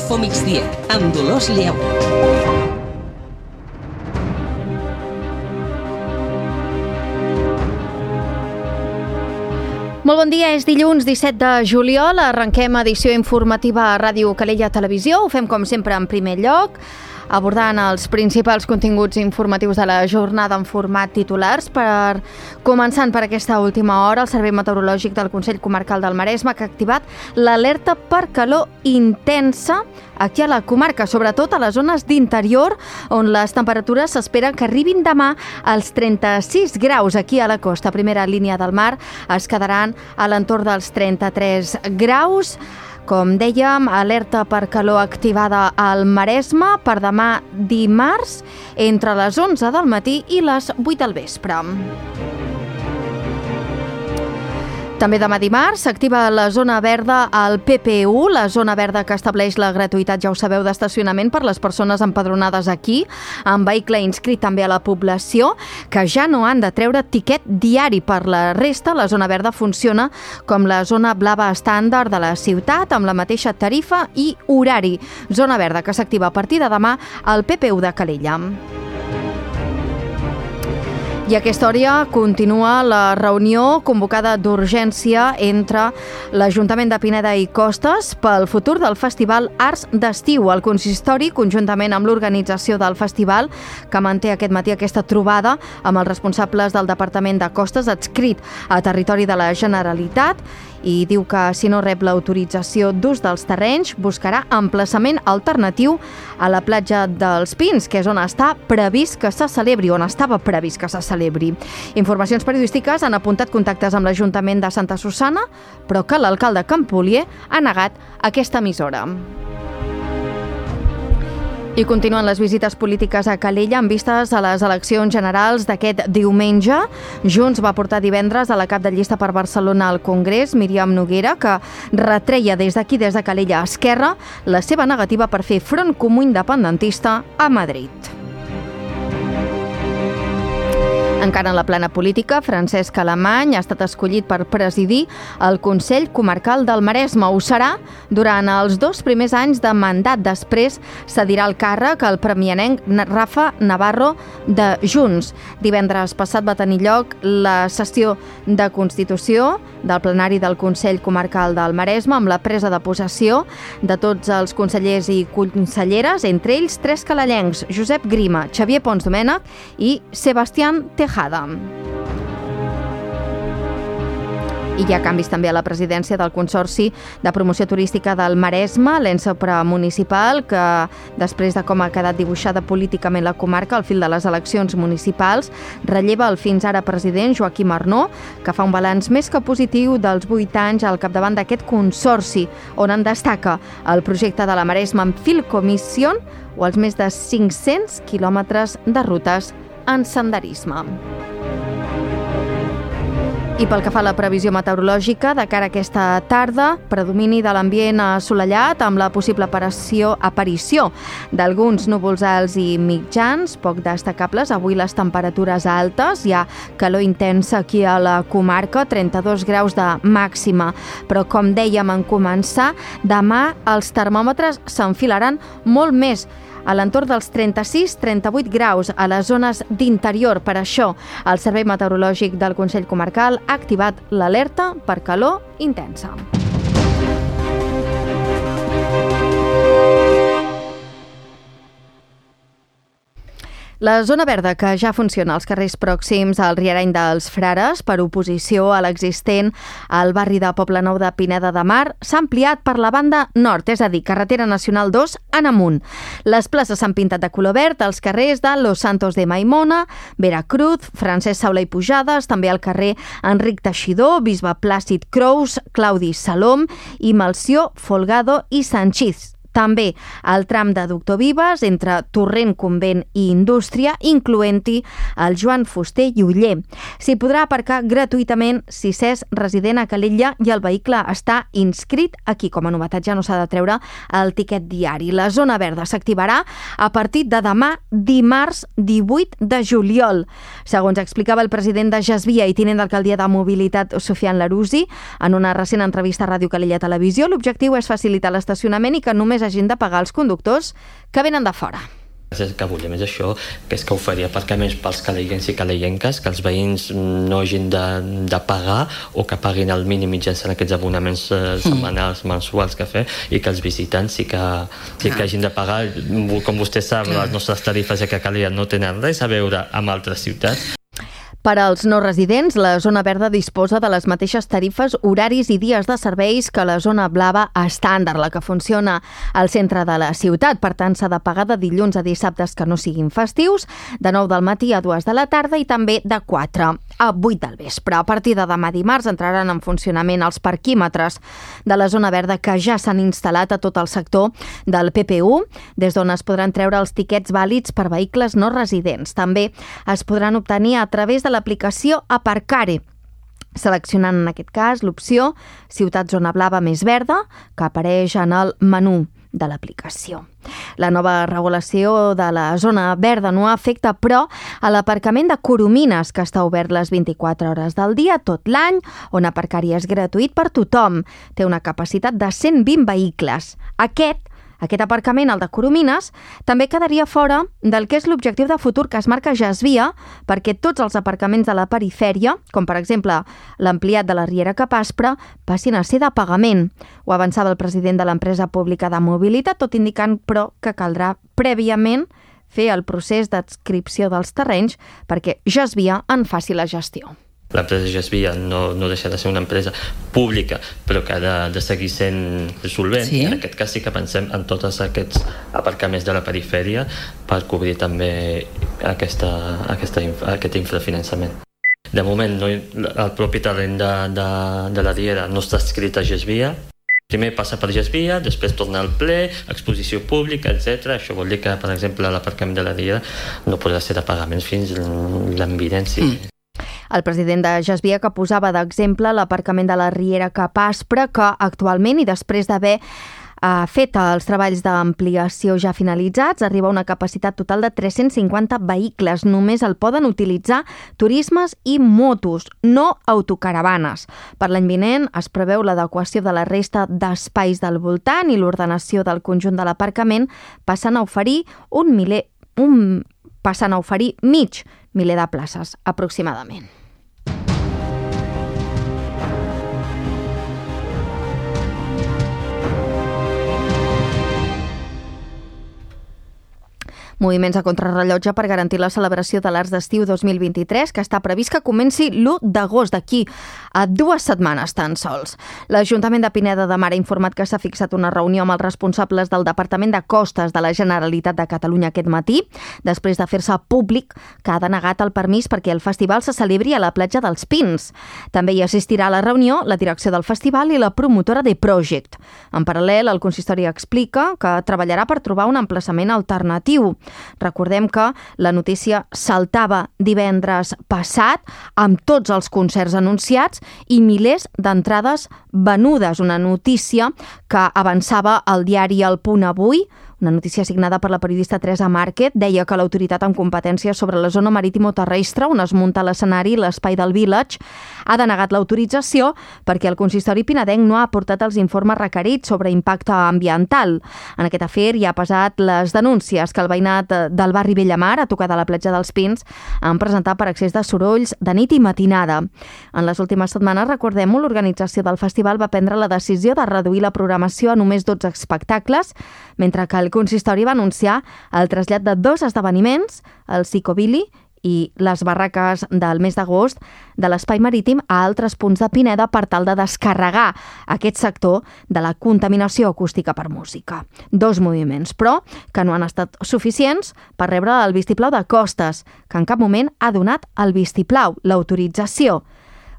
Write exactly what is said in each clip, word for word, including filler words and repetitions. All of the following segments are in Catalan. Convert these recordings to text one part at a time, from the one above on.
Info Migdia, amb Dolors Lleu. Molt bon dia, és dilluns disset de juliol, arrenquem edició informativa a Ràdio Calella Televisió, ho fem com sempre en primer lloc, abordant els principals continguts informatius de la jornada en format titulars. Per començant per aquesta última hora, el Servei Meteorològic del Consell Comarcal del Maresme que ha activat l'alerta per calor intensa aquí a la comarca, sobretot a les zones d'interior, on les temperatures s'esperen que arribin demà als trenta-sis graus. Aquí a la costa, primera línia del mar, es quedaran a l'entorn dels trenta-tres graus. Com dèiem, alerta per calor activada al Maresme per demà dimarts entre les onze del matí i les vuit del vespre. També demà dimarts s'activa la zona verda al P P U, la zona verda que estableix la gratuïtat, ja ho sabeu, d'estacionament per les persones empadronades aquí, amb vehicle inscrit també a la població, que ja no han de treure tiquet diari. Per la resta, la zona verda funciona com la zona blava estàndard de la ciutat, amb la mateixa tarifa i horari. Zona verda que s'activa a partir de demà al P P U de Calella. I a aquesta hora continua la reunió convocada d'urgència entre l'Ajuntament de Pineda i Costes pel futur del Festival Arts d'Estiu. El consistori, conjuntament amb l'organització del festival, que manté aquest matí aquesta trobada amb els responsables del Departament de Costes adscrit a territori de la Generalitat, i diu que si no rep l'autorització d'ús dels terrenys buscarà emplaçament alternatiu a la platja dels Pins, que és on està previst que se celebri, on estava previst que se celebri. Informacions periodístiques han apuntat contactes amb l'Ajuntament de Santa Susanna, però que l'alcalde Campolier ha negat aquesta emissora. I continuen les visites polítiques a Calella amb vistes a les eleccions generals d'aquest diumenge. Junts va portar divendres a la cap de llista per Barcelona al Congrés, Míriam Noguera, que retreia des d'aquí, des de Calella a Esquerra, la seva negativa per fer front comú independentista a Madrid. Encara en la plana política, Francesc Alemany ha estat escollit per presidir el Consell Comarcal del Maresme. Ho serà durant els dos primers anys de mandat. Després cedirà el càrrec al premianenc Rafa Navarro de Junts. Divendres passat va tenir lloc la sessió de Constitució del plenari del Consell Comarcal del Maresme amb la presa de possessió de tots els consellers i conselleres, entre ells tres calellencs, Josep Grima, Xavier Pons Domènech i Sebastián Tejada. I hi ha canvis també a la presidència del Consorci de Promoció Turística del Maresme, l'ens supramunicipal, que després de com ha quedat dibuixada políticament la comarca al fil de les eleccions municipals, relleva el fins ara president Joaquim Arnó, que fa un balanç més que positiu dels vuit anys al capdavant d'aquest consorci, on en destaca el projecte de la Maresme en Filcommission o els més de cinc-cents quilòmetres de rutes en senderisme. I pel que fa a la previsió meteorològica, de cara a aquesta tarda, predomini de l'ambient assolellat amb la possible aparició, aparició d'alguns núvols alts i mitjans, poc destacables. Avui les temperatures altes, hi ha calor intensa aquí a la comarca, trenta-dos graus de màxima. Però com dèiem en començar, demà els termòmetres s'enfilaran molt més, a l'entorn dels trenta-sis trenta-vuit graus a les zones d'interior. Per això, el Servei Meteorològic del Consell Comarcal ha activat l'alerta per calor intensa. La zona verda, que ja funciona als carrers pròxims al Riareny dels Frares per oposició a l'existent al barri de Poblenou de Pineda de Mar, s'ha ampliat per la banda nord, és a dir, carretera nacional dos en amunt. Les places s'han pintat de color verd als carrers de Los Santos de Maimona, Veracruz, Francesc Saula i Pujades, també al carrer Enric Teixidor, Bisbe Plàcid Crous, Claudi Salom i Melcior Folgado i Sanchís. També el tram de Doctor Vives entre Torrent, Convent i Indústria, incloent-hi el Joan Fuster i Oller. S'hi podrà aparcar gratuïtament si s'és resident a Calella i el vehicle està inscrit aquí. Com a novetat ja no s'ha de treure el tiquet diari. La zona verda s'activarà a partir de demà dimarts divuit de juliol. Segons explicava el president de Jasvia i tinent d'alcaldia de Mobilitat, Sofian Larusi, en una recent entrevista a Ràdio Calella Televisió, l'objectiu és facilitar l'estacionament i que només només hagin de pagar els conductors que venen de fora. El que volem és això, que és que oferir aparcaments pels caleiencs i caleienques, que els veïns no hagin de, de pagar o que paguin el mínim mitjançant aquests abonaments eh, setmanals, mensuals que fer, i que els visitants sí que, sí que hagin de pagar. Com vostè sap, les nostres tarifes a Calella no tenen res a veure amb altres ciutats. Per als no residents, la zona verda disposa de les mateixes tarifes, horaris i dies de serveis que la zona blava estàndard, la que funciona al centre de la ciutat. Per tant, s'ha de pagar de dilluns a dissabtes que no siguin festius, de nou del matí a dues de la tarda i també de quatre a vuit del vespre. A partir de demà dimarts entraran en funcionament els parquímetres de la zona verda que ja s'han instal·lat a tot el sector del P P U, des d'on es podran treure els tiquets vàlids per vehicles no residents. També es podran obtenir a través de l'aplicació Aparcare, seleccionant en aquest cas l'opció Ciutat Zona Blava més verda, que apareix en el menú de l'aplicació. La nova regulació de la zona verda no afecta, però, a l'aparcament de Coromines, que està obert les vint-i-quatre hores del dia, tot l'any, on aparcar-hi és gratuït per tothom. Té una capacitat de cent vint vehicles. Aquest Aquest aparcament, el de Coromines, també quedaria fora del que és l'objectiu de futur que es marca Gesvia, perquè tots els aparcaments de la perifèria, com per exemple l'ampliat de la Riera Cap Aspre, passin a ser de pagament. Ho avançava el president de l'empresa pública de mobilitat, tot indicant, però, que caldrà prèviament fer el procés d'adscripció dels terrenys perquè Gesvia en faci la gestió. L'empresa Gesvia no, no deixa de ser una empresa pública, però que ha de, de seguir sent solvent. Sí. En aquest cas sí que pensem en tots aquests aparcaments de la perifèria per cobrir també aquesta, aquesta, aquest infrafinançament. De moment, no, el propi terreny de, de, de la Riera no està escrit a Gesvia. Primer passa per Gesvia, després torna al ple, exposició pública, etcètera. Això vol dir que, per exemple, l'aparcament de la Riera no podrà ser de pagaments fins l'any vinent. Mm. El president de Gesvia, que posava d'exemple l'aparcament de la Riera Cap Aspre, que actualment, i després d'haver eh, fet els treballs d'ampliació ja finalitzats, arriba a una capacitat total de tres-cents cinquanta vehicles. Només el poden utilitzar turismes i motos, no autocaravanes. Per l'any vinent es preveu l'adequació de la resta d'espais del voltant i l'ordenació del conjunt de l'aparcament, passant a oferir un miler, un, passant a oferir mig miler de places, aproximadament. Moviments a contrarrellotge per garantir la celebració de l'Arts d'Estiu dos mil vint-i-tres, que està previst que comenci l'u d'agost, d'aquí a dues setmanes tan sols. L'Ajuntament de Pineda de Mar ha informat que s'ha fixat una reunió amb els responsables del Departament de Costes de la Generalitat de Catalunya aquest matí, després de fer-se públic que ha denegat el permís perquè el festival se celebri a la platja dels Pins. També hi assistirà a la reunió la direcció del festival i la promotora de Project. En paral·lel, el consistori explica que treballarà per trobar un emplaçament alternatiu. Recordem que la notícia saltava divendres passat amb tots els concerts anunciats i milers d'entrades venudes. Una notícia que avançava el diari El Punt avui. Una notícia signada per la periodista Teresa Márquez deia que l'autoritat amb competències sobre la zona marítimo-terrestre on es munta l'escenari, l'espai del Village, ha denegat l'autorització perquè el consistori pinedenc no ha aportat els informes requerits sobre impacte ambiental. En aquest afer hi ha pesat les denúncies que el veïnat del barri Bellamar, a tocar de la platja dels Pins, han presentat per excés de sorolls de nit i matinada. En les últimes setmanes, recordem-ho, l'organització del festival va prendre la decisió de reduir la programació a només dotze espectacles, mentre que el consistori va anunciar el trasllat de dos esdeveniments, el Psicobili i les barraques del mes d'agost, de l'espai marítim a altres punts de Pineda per tal de descarregar aquest sector de la contaminació acústica per música. Dos moviments, però, que no han estat suficients per rebre el vistiplau de Costes, que en cap moment ha donat el vistiplau, l'autorització.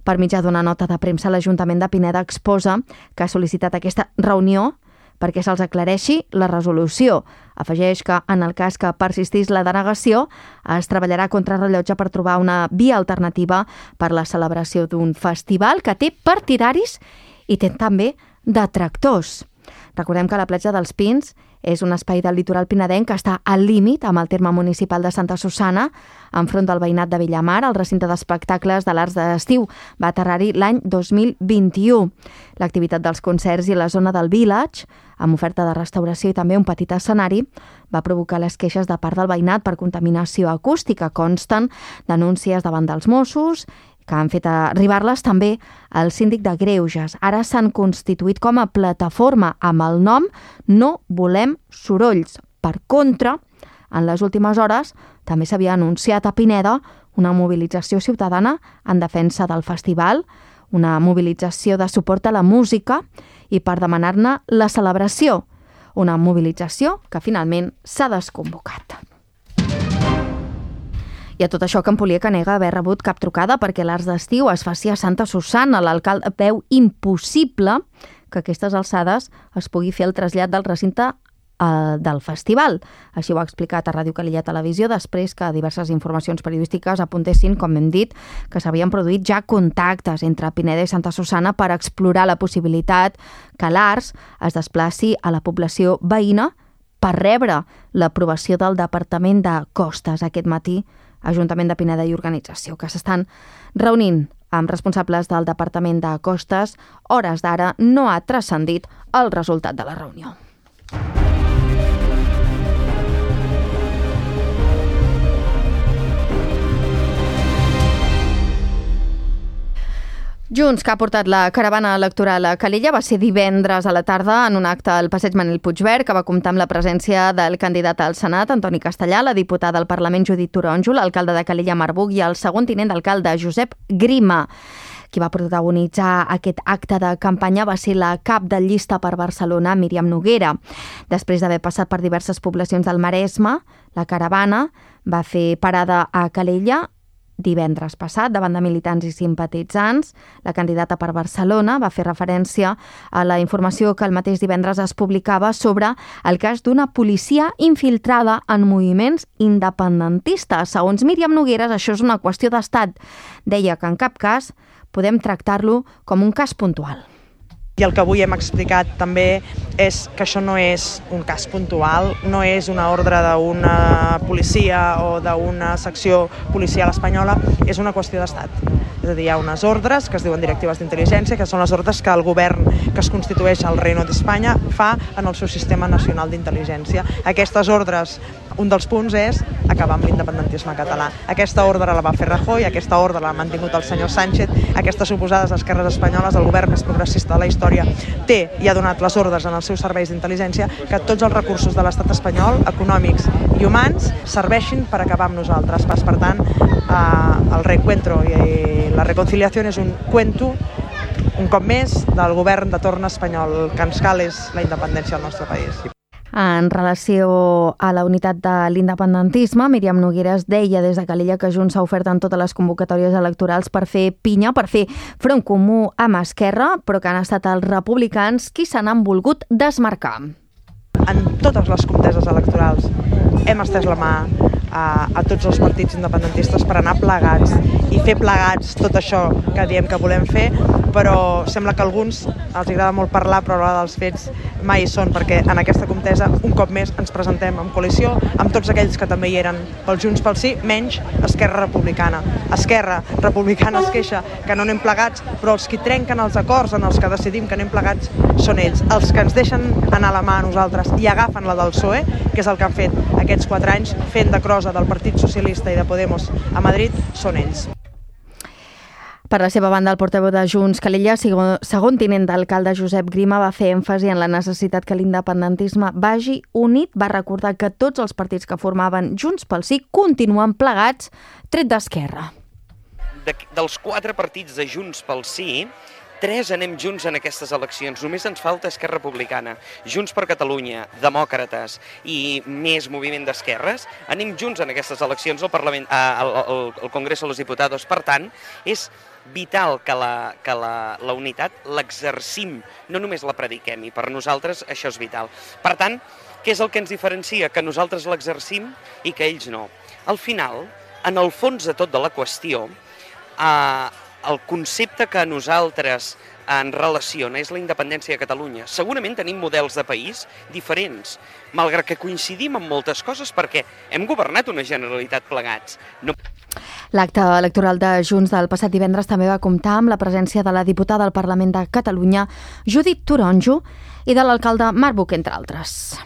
Per mitjà d'una nota de premsa, l'Ajuntament de Pineda exposa que ha sol·licitat aquesta reunió perquè se'ls aclareixi la resolució. Afegeix que, en el cas que persistís la denegació, es treballarà contra rellotge per trobar una via alternativa per la celebració d'un festival que té partidaris i té també detractors. Recordem que la platja dels Pins És un espai del litoral pinedenc que està al límit amb el terme municipal de Santa Susanna, enfront del veïnat de Villamar. El recinte d'espectacles de l'Arts d'Estiu va aterrar-hi l'any dos mil vint-i-u. L'activitat dels concerts i la zona del Village, amb oferta de restauració i també un petit escenari, va provocar les queixes de part del veïnat per contaminació acústica. Consten denúncies davant dels Mossos, que han fet arribar-les també al síndic de Greuges. Ara s'han constituït com a plataforma amb el nom No volem sorolls. Per contra, en les últimes hores també s'havia anunciat a Pineda una mobilització ciutadana en defensa del festival, una mobilització de suport a la música i per demanar-ne la celebració. Una mobilització que finalment s'ha desconvocat. I a tot això, Campolier nega haver rebut cap trucada perquè l'Arts d'Estiu es faci a Santa Susanna. L'alcalde veu impossible que a aquestes alçades es pugui fer el trasllat del recinte eh, del festival. Així ho ha explicat a Ràdio Calella Televisió després que diverses informacions periodístiques apuntessin, com hem dit, que s'havien produït ja contactes entre Pineda i Santa Susanna per explorar la possibilitat que l'Arts es desplaci a la població veïna per rebre l'aprovació del Departament de Costes. Aquest matí, Ajuntament de Pineda i organització, que s'estan reunint amb responsables del Departament de Costes. Hores d'ara no ha transcendit el resultat de la reunió. Junts, que ha portat la caravana electoral a Calella, va ser divendres a la tarda en un acte al passeig Manel Puigverd que va comptar amb la presència del candidat al Senat, Antoni Castellà, la diputada al Parlament Judit Toronjo, l'alcalde de Calella, Marc Buch, i el segon tinent d'alcalde, Josep Grima. Qui va protagonitzar aquest acte de campanya va ser la cap de llista per Barcelona, Míriam Noguera. Després d'haver passat per diverses poblacions del Maresme, la caravana va fer parada a Calella divendres passat, davant de militants i simpatitzants. La candidata per Barcelona va fer referència a la informació que el mateix divendres es publicava sobre el cas d'una policia infiltrada en moviments independentistes. Segons Míriam Nogueras, això és una qüestió d'estat. Deia que en cap cas podem tractar-lo com un cas puntual. I el que avui hem explicat també és que això no és un cas puntual, no és una ordre d'una policia o d'una secció policial espanyola, és una qüestió d'estat. És a dir, hi ha unes ordres que es diuen directives d'intel·ligència, que són les ordres que el govern que es constitueix al Reino d'Espanya fa en el seu sistema nacional d'intel·ligència. Aquestes ordres, un dels punts és acabar amb l'independentisme català. Aquesta ordre la va fer Rajoy, aquesta ordre l'ha mantingut el senyor Sánchez, aquestes suposades esquerres espanyoles, el govern més progressista de la història, té i ha donat les ordres en els seus serveis d'intel·ligència que tots els recursos de l'estat espanyol, econòmics i humans, serveixin per acabar amb nosaltres. Per tant, eh, el reencuentro i la reconciliació és un cuento, un cop més, del govern de torn espanyol. El que ens cal és la independència del nostre país. En relació a la unitat de l'independentisme, Míriam Nogueras deia des de Calella que Junts s'ha ofert en totes les convocatòries electorals per fer pinya, per fer front comú amb Esquerra, però que han estat els republicans qui se n'han volgut desmarcar. En totes les conteses electorals hem estès la mà a, a tots els partits independentistes per anar plegats i fer plegats tot això que diem que volem fer, però sembla que a alguns els agrada molt parlar, però a l'hora dels fets mai hi són, perquè en aquesta contesa, un cop més, ens presentem en coalició amb tots aquells que també hi eren pel Junts pel Sí, menys Esquerra Republicana. Esquerra Republicana es queixa que no anem plegats, però els que trenquen els acords en els que decidim que anem plegats són ells. Els que ens deixen anar la mà a nosaltres i agafen la del P S O E, que és el que han fet aquests quatre anys, fent de crosa del Partit Socialista i de Podemos a Madrid, són ells. Per la seva banda, el portaveu de Junts, Calella, segon tinent d'alcalde Josep Grima, va fer èmfasi en la necessitat que l'independentisme vagi unit. Va recordar que tots els partits que formaven Junts pel Sí continuen plegats, tret d'Esquerra. De, dels quatre partits de Junts pel Sí, tres anem junts en aquestes eleccions. Només ens falta Esquerra Republicana, Junts per Catalunya, Demòcrates i més moviment d'esquerres. Anem junts en aquestes eleccions al Parlament, al, al, al Congreso de los Diputados. Per tant, és vital que la, que la, la unitat l'exercim, no només la prediquem, i per nosaltres això és vital. Per tant, què és el que ens diferencia? Que nosaltres l'exercim i que ells no. Al final, en el fons de tot de la qüestió, eh, el concepte que nosaltres en relaciona és la independència de Catalunya. Segurament tenim models de país diferents, malgrat que coincidim en moltes coses perquè hem governat una Generalitat plegats. No... L'acte electoral de Junts del passat divendres també va comptar amb la presència de la diputada al Parlament de Catalunya, Judit Toronjo, i de l'alcalde Marc Buch, entre altres.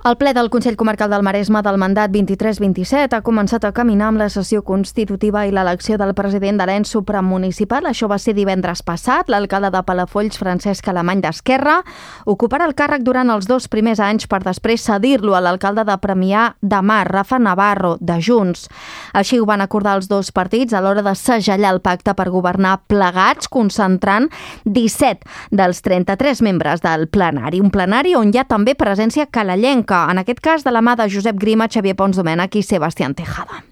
El ple del Consell Comarcal del Maresme del mandat vint-i-tres vint-i-set ha començat a caminar amb la sessió constitutiva i l'elecció del president de l'ens supramunicipal. Això va ser divendres passat. L'alcalde de Palafolls, Francesc Alemany d'Esquerra, ocuparà el càrrec durant els dos primers anys per després cedir-lo a l'alcalde de Premià de Mar, Rafa Navarro, de Junts. Així ho van acordar els dos partits a l'hora de segellar el pacte per governar plegats, concentrant disset dels trenta-tres membres del plenari. Un plenari on hi ha també presència calellenca, en aquest cas de la mà de Josep Grima, Xavier Pons Domènech i Sebastián Tejada.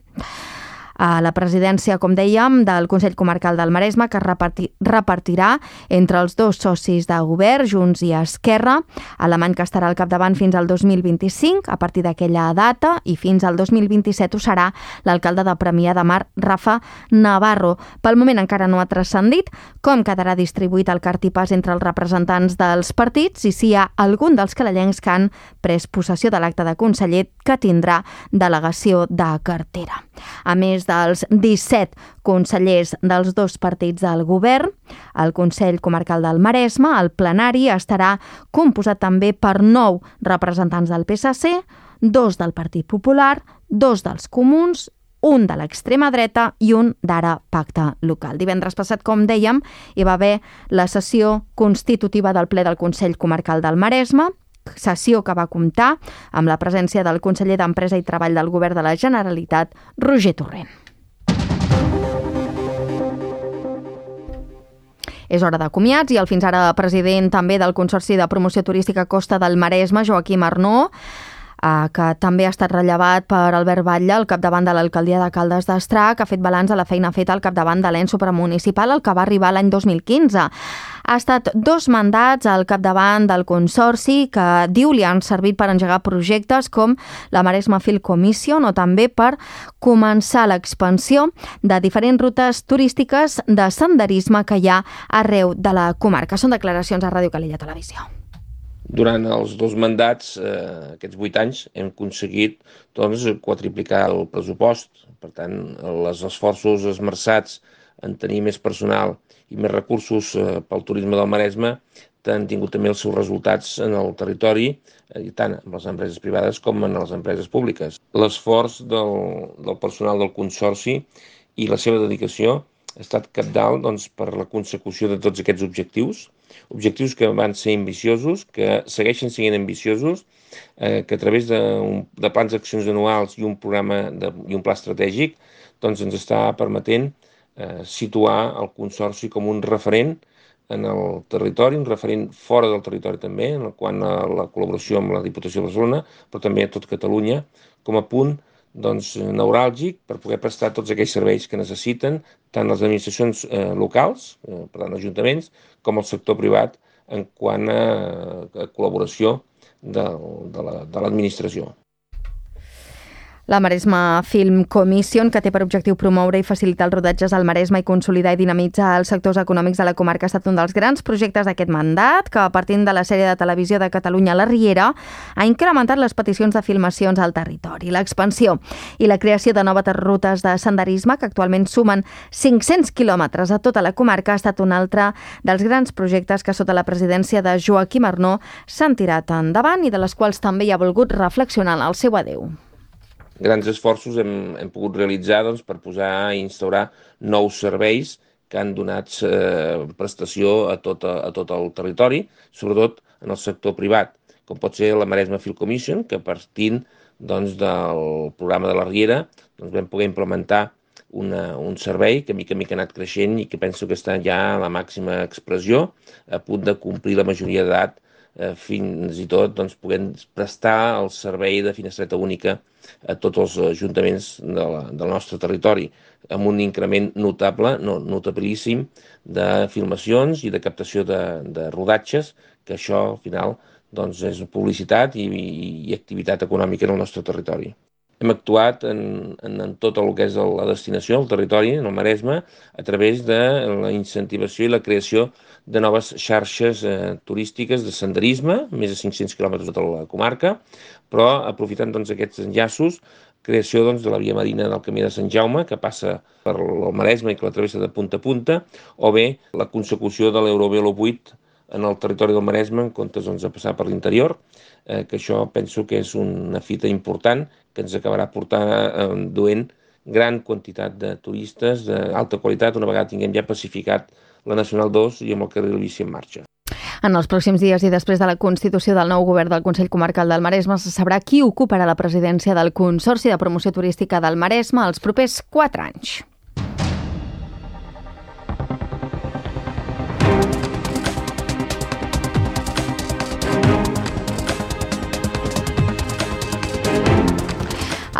A la presidència, com dèiem, del Consell Comarcal del Maresme, que reparti, repartirà entre els dos socis de govern, Junts i Esquerra. Alemany, que estarà al capdavant fins al dos mil vint-i-cinc, a partir d'aquella data, i fins al dos mil vint-i-set ho serà l'alcalde de Premià de Mar, Rafa Navarro. Pel moment encara no ha transcendit com quedarà distribuït el cartipàs entre els representants dels partits i si hi ha algun dels calellencs que han pres possessió de l'acte de conseller que tindrà delegació de cartera. A més dels disset consellers dels dos partits del govern, el Consell Comarcal del Maresme, el plenari, estarà composat també per nou representants del P S C, dos del Partit Popular, dos dels Comuns, un de l'extrema dreta i un d'Ara Pacte Local. Divendres passat, com dèiem, hi va haver la sessió constitutiva del ple del Consell Comarcal del Maresme, sessió que va comptar amb la presència del conseller d'Empresa i Treball del Govern de la Generalitat, Roger Torrent. És hora de comiats i el fins ara president també del Consorci de Promoció Turística Costa del Maresme, Joaquim Arnó, que també ha estat rellevat per Albert Batlle, al capdavant de l'alcaldia de Caldes d'Estrac, que ha fet balanç de la feina feta al capdavant de l'ens supramunicipal, el que va arribar l'any dos mil quinze. Ha estat dos mandats al capdavant del Consorci que diu li han servit per engegar projectes com la Maresme Field Commission o també per començar l'expansió de diferents rutes turístiques de senderisme que hi ha arreu de la comarca. Són declaracions a Ràdio Calella Televisió. Durant els dos mandats, eh, aquests vuit anys, hem aconseguit doncs, quadriplicar el pressupost. Per tant, els esforços esmerçats en tenir més personal i més recursos eh, pel turisme del Maresme han tingut també els seus resultats en el territori, eh, tant en les empreses privades com en les empreses públiques. L'esforç del, del personal del Consorci i la seva dedicació ha estat cabdal doncs, per la consecució de tots aquests objectius, objectius que van ser ambiciosos, que segueixen sent ambiciosos, eh, que a través de, un, de plans d'accions anuals i un programa de, i un pla estratègic doncs ens està permetent eh, situar el Consorci com un referent en el territori, un referent fora del territori també, en el quant a la col·laboració amb la Diputació de Barcelona, però també a tot Catalunya, com a punt doncs, neuràlgic per poder prestar tots aquells serveis que necessiten tant les administracions eh, locals, eh, per tant ajuntaments, com el sector privat en quant a, a col·laboració de, de la, de l'administració. La Maresme Film Commission, que té per objectiu promoure i facilitar els rodatges al Maresme i consolidar i dinamitzar els sectors econòmics de la comarca, ha estat un dels grans projectes d'aquest mandat, que partint de la sèrie de televisió de Catalunya La Riera, ha incrementat les peticions de filmacions al territori. L'expansió i la creació de noves rutes de senderisme, que actualment sumen cinc-cents quilòmetres a tota la comarca, ha estat un altre dels grans projectes que sota la presidència de Joaquim Arnó s'han tirat endavant i de les quals també hi ha volgut reflexionar en el seu adeu. Grans esforços hem, hem pogut realitzar doncs, per posar i instaurar nous serveis que han donat eh, prestació a tot, a, a tot el territori, sobretot en el sector privat, com pot ser la Maresme Film Commission, que partint doncs, del programa de la Riera doncs, vam poder implementar una, un servei que mica mica ha anat creixent i que penso que està ja a la màxima expressió, a punt de complir la majoria d'edat, eh, fins i tot doncs, podent prestar el servei de finestreta única a tots els ajuntaments de la, del nostre territori, amb un increment notable, no, notabilíssim, de filmacions i de captació de, de rodatges, que això al final doncs, és publicitat i, i activitat econòmica en el nostre territori. Hem actuat en, en, en tot el que és la destinació, el territori, en el Maresme, a través de la incentivació i la creació de noves xarxes eh, turístiques de senderisme, més de cinc-cents quilòmetres de tota la comarca, però aprofitant doncs, aquests enllaços, creació doncs, de la via marina del Camí de Sant Jaume, que passa per el Maresme i que la travessa de punta a punta, o bé la consecució de l'Eurovelo vuit en el territori del Maresme, en comptes doncs, de passar per l'interior, eh, que això penso que és una fita important que ens acabarà portant eh, duent gran quantitat de turistes d'alta qualitat una vegada tinguem ja pacificat la Nacional dos i amb el carril bici en marxa. En els pròxims dies i després de la constitució del nou govern del Consell Comarcal del Maresme se sabrà qui ocuparà la presidència del Consorci de Promoció Turística del Maresme els propers quatre anys.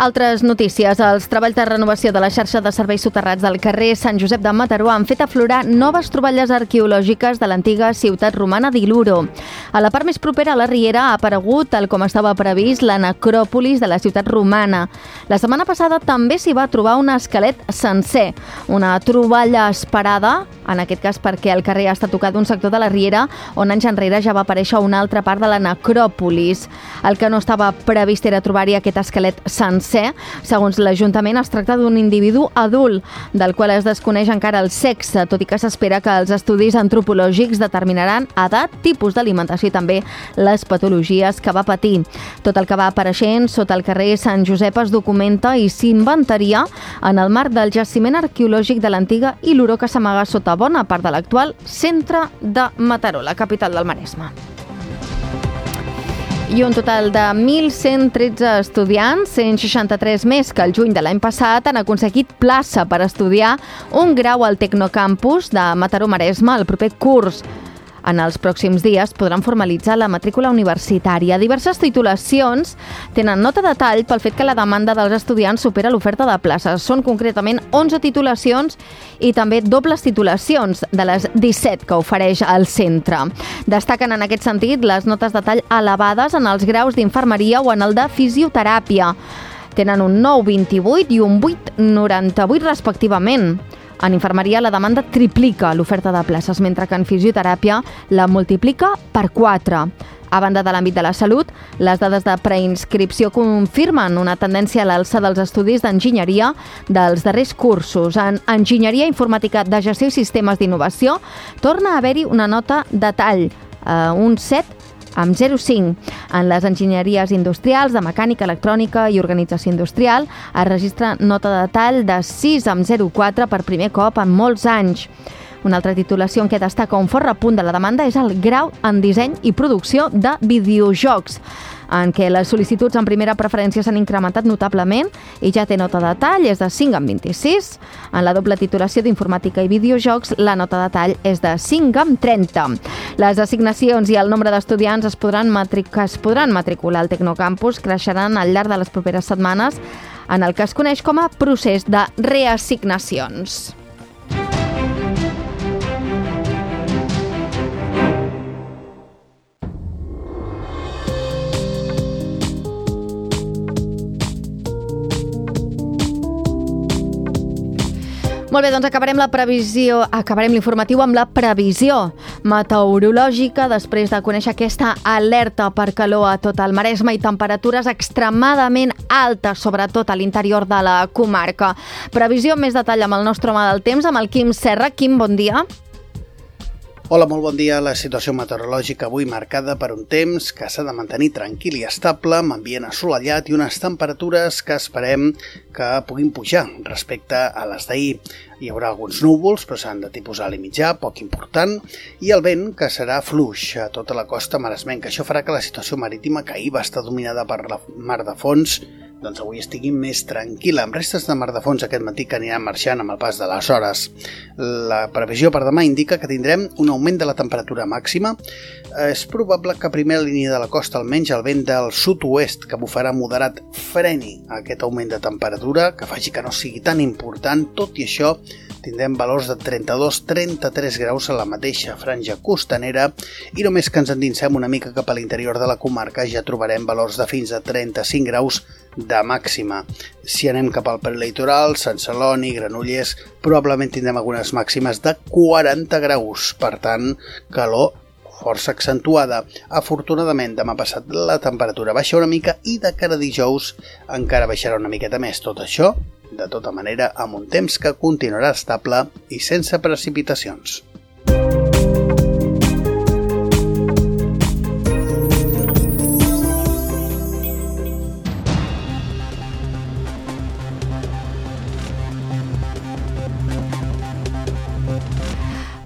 Altres notícies. Els treballs de renovació de la xarxa de serveis soterrats del carrer Sant Josep de Mataró han fet aflorar noves troballes arqueològiques de l'antiga ciutat romana d'Iluro. A la part més propera a la Riera ha aparegut, tal com estava previst, la necròpolis de la ciutat romana. La setmana passada també s'hi va trobar un esquelet sencer, una troballa esperada, en aquest cas perquè el carrer ha estat tocat d'un sector de la Riera on anys enrere ja va aparèixer una altra part de la necròpolis. El que no estava previst era trobar-hi aquest esquelet sencer. Segons l'Ajuntament, es tracta d'un individu adult, del qual es desconeix encara el sexe, tot i que s'espera que els estudis antropològics determinaran edat, tipus d'alimentació i també les patologies que va patir. Tot el que va apareixent sota el carrer Sant Josep es documenta i s'inventaria en el marc del jaciment arqueològic de l'antiga Iluro, que s'amaga sota bona part de l'actual centre de Mataró, la capital del Maresme. I un total de mil cent tretze estudiants, cent seixanta-tres més que el juny de l'any passat, han aconseguit plaça per estudiar un grau al Tecnocampus de Mataró-Maresme el proper curs. En els pròxims dies podran formalitzar la matrícula universitària. Diverses titulacions tenen nota de tall pel fet que la demanda dels estudiants supera l'oferta de places. Són concretament onze titulacions i també dobles titulacions de les disset que ofereix el centre. Destaquen en aquest sentit les notes de tall elevades en els graus d'infermeria o en el de fisioteràpia. Tenen un nou vint-i-vuit i un vuit noranta-vuit respectivament. En infermeria la demanda triplica l'oferta de places, mentre que en fisioteràpia la multiplica per quatre. A banda de l'àmbit de la salut, les dades de preinscripció confirmen una tendència a l'alça dels estudis d'enginyeria dels darrers cursos. En enginyeria informàtica de gestió i sistemes d'innovació torna a haver-hi una nota de tall, eh, un set amb zero coma cinc. En les enginyeries industrials de mecànica, electrònica i organització industrial es registra nota de tall de sis amb zero coma quatre per primer cop en molts anys. Una altra titulació en què destaca un fort repunt de la demanda és el grau en disseny i producció de videojocs, en què les sol·licituds en primera preferència s'han incrementat notablement i ja té nota de tall, és de cinc amb vint-i-sis. En la doble titulació d'informàtica i videojocs, la nota de tall és de cinc amb trenta. Les assignacions i el nombre d'estudiants es podran matric- que es podran matricular al Tecnocampus creixeran al llarg de les properes setmanes en el que es coneix com a procés de reassignacions. Molt bé, doncs acabarem la previsió, acabarem l'informatiu amb la previsió meteorològica després de conèixer aquesta alerta per calor a tot el Maresme i temperatures extremadament altes, sobretot a l'interior de la comarca. Previsió més detall amb el nostre home del temps, amb el Quim Serra. Quim, bon dia. Hola, molt bon dia. La situació meteorològica avui marcada per un temps que s'ha de mantenir tranquil i estable, amb ambient assolellat i unes temperatures que esperem que puguin pujar respecte a les d'ahir. Hi haurà alguns núvols, però seran de tipus alt i mitjà, poc important, i el vent, que serà fluix a tota la costa maresmenca. Això farà que la situació marítima, que ahir va estar dominada per la mar de fons, doncs avui estigui més tranquil·la, amb restes de mar de fons aquest matí que aniran marxant amb el pas de les hores. La previsió per demà indica que tindrem un augment de la temperatura màxima. És probable que a primera línia de la costa, almenys el vent del sud-oest, que bufarà moderat, freni aquest augment de temperatura, que faci que no sigui tan important. Tot i això, tindrem valors de trenta-dos a trenta-tres graus a la mateixa franja costanera i només que ens endinsem una mica cap a l'interior de la comarca ja trobarem valors de fins a trenta-cinc graus de màxima. Si anem cap al prelitoral, Sant Celoni, Granollers, probablement tindrem algunes màximes de quaranta graus, per tant, calor força accentuada. Afortunadament, demà passat la temperatura baixa una mica i de cara a dijous encara baixarà una miqueta més. Tot això, de tota manera, amb un temps que continuarà estable i sense precipitacions.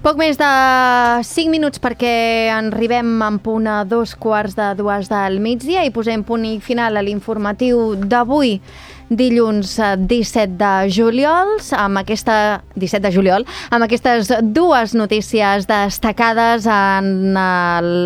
Poc més de cinc minuts perquè arribem en punt a dos quarts de dues del migdia i posem punt i final a l'informatiu d'avui, dilluns disset de juliol, amb aquesta disset de juliol, amb aquestes dues notícies destacades en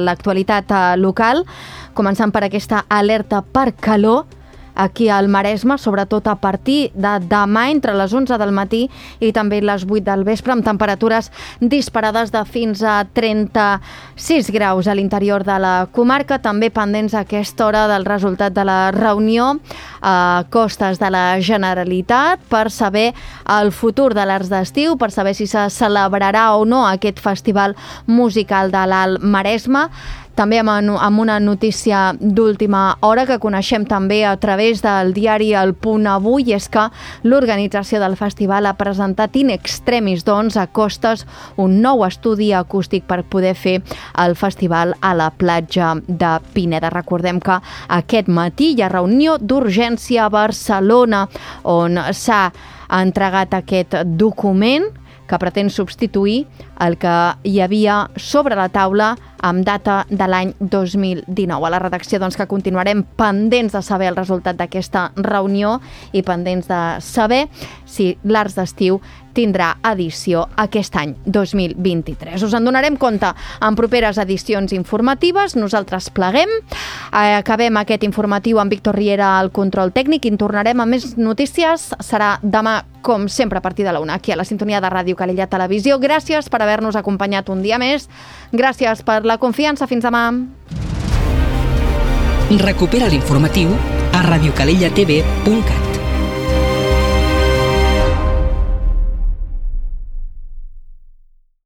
l'actualitat local, començant per aquesta alerta per calor aquí al Maresme, sobretot a partir de demà entre les onze del matí i també les vuit del vespre, amb temperatures disparades de fins a trenta-sis graus a l'interior de la comarca, també pendents a aquesta hora del resultat de la reunió a costes de la Generalitat per saber el futur de l'Arts d'Estiu, per saber si se celebrarà o no aquest festival musical de l'Alt Maresme. També amb una notícia d'última hora que coneixem també a través del diari El Punt Avui, és que l'organització del festival ha presentat in extremis, doncs, a costes un nou estudi acústic per poder fer el festival a la platja de Pineda. Recordem que aquest matí hi ha reunió d'urgència a Barcelona on s'ha entregat aquest document que pretén substituir el que hi havia sobre la taula amb data de l'any dos mil dinou. A la redacció, doncs, que continuarem pendents de saber el resultat d'aquesta reunió i pendents de saber si l'Arts d'Estiu tindrà edició aquest any dos mil vint-i-tres. Us en donarem compte en properes edicions informatives. Nosaltres pleguem. Acabem aquest informatiu amb Víctor Riera al control tècnic i en tornarem a més notícies. Serà demà, com sempre, a partir de la una, aquí a la sintonia de Ràdio Calella Televisió. Gràcies per haver-nos acompanyat un dia més. Gràcies per la confiança. Fins demà. Recupera l'informatiu a radiocalellatv punt cat.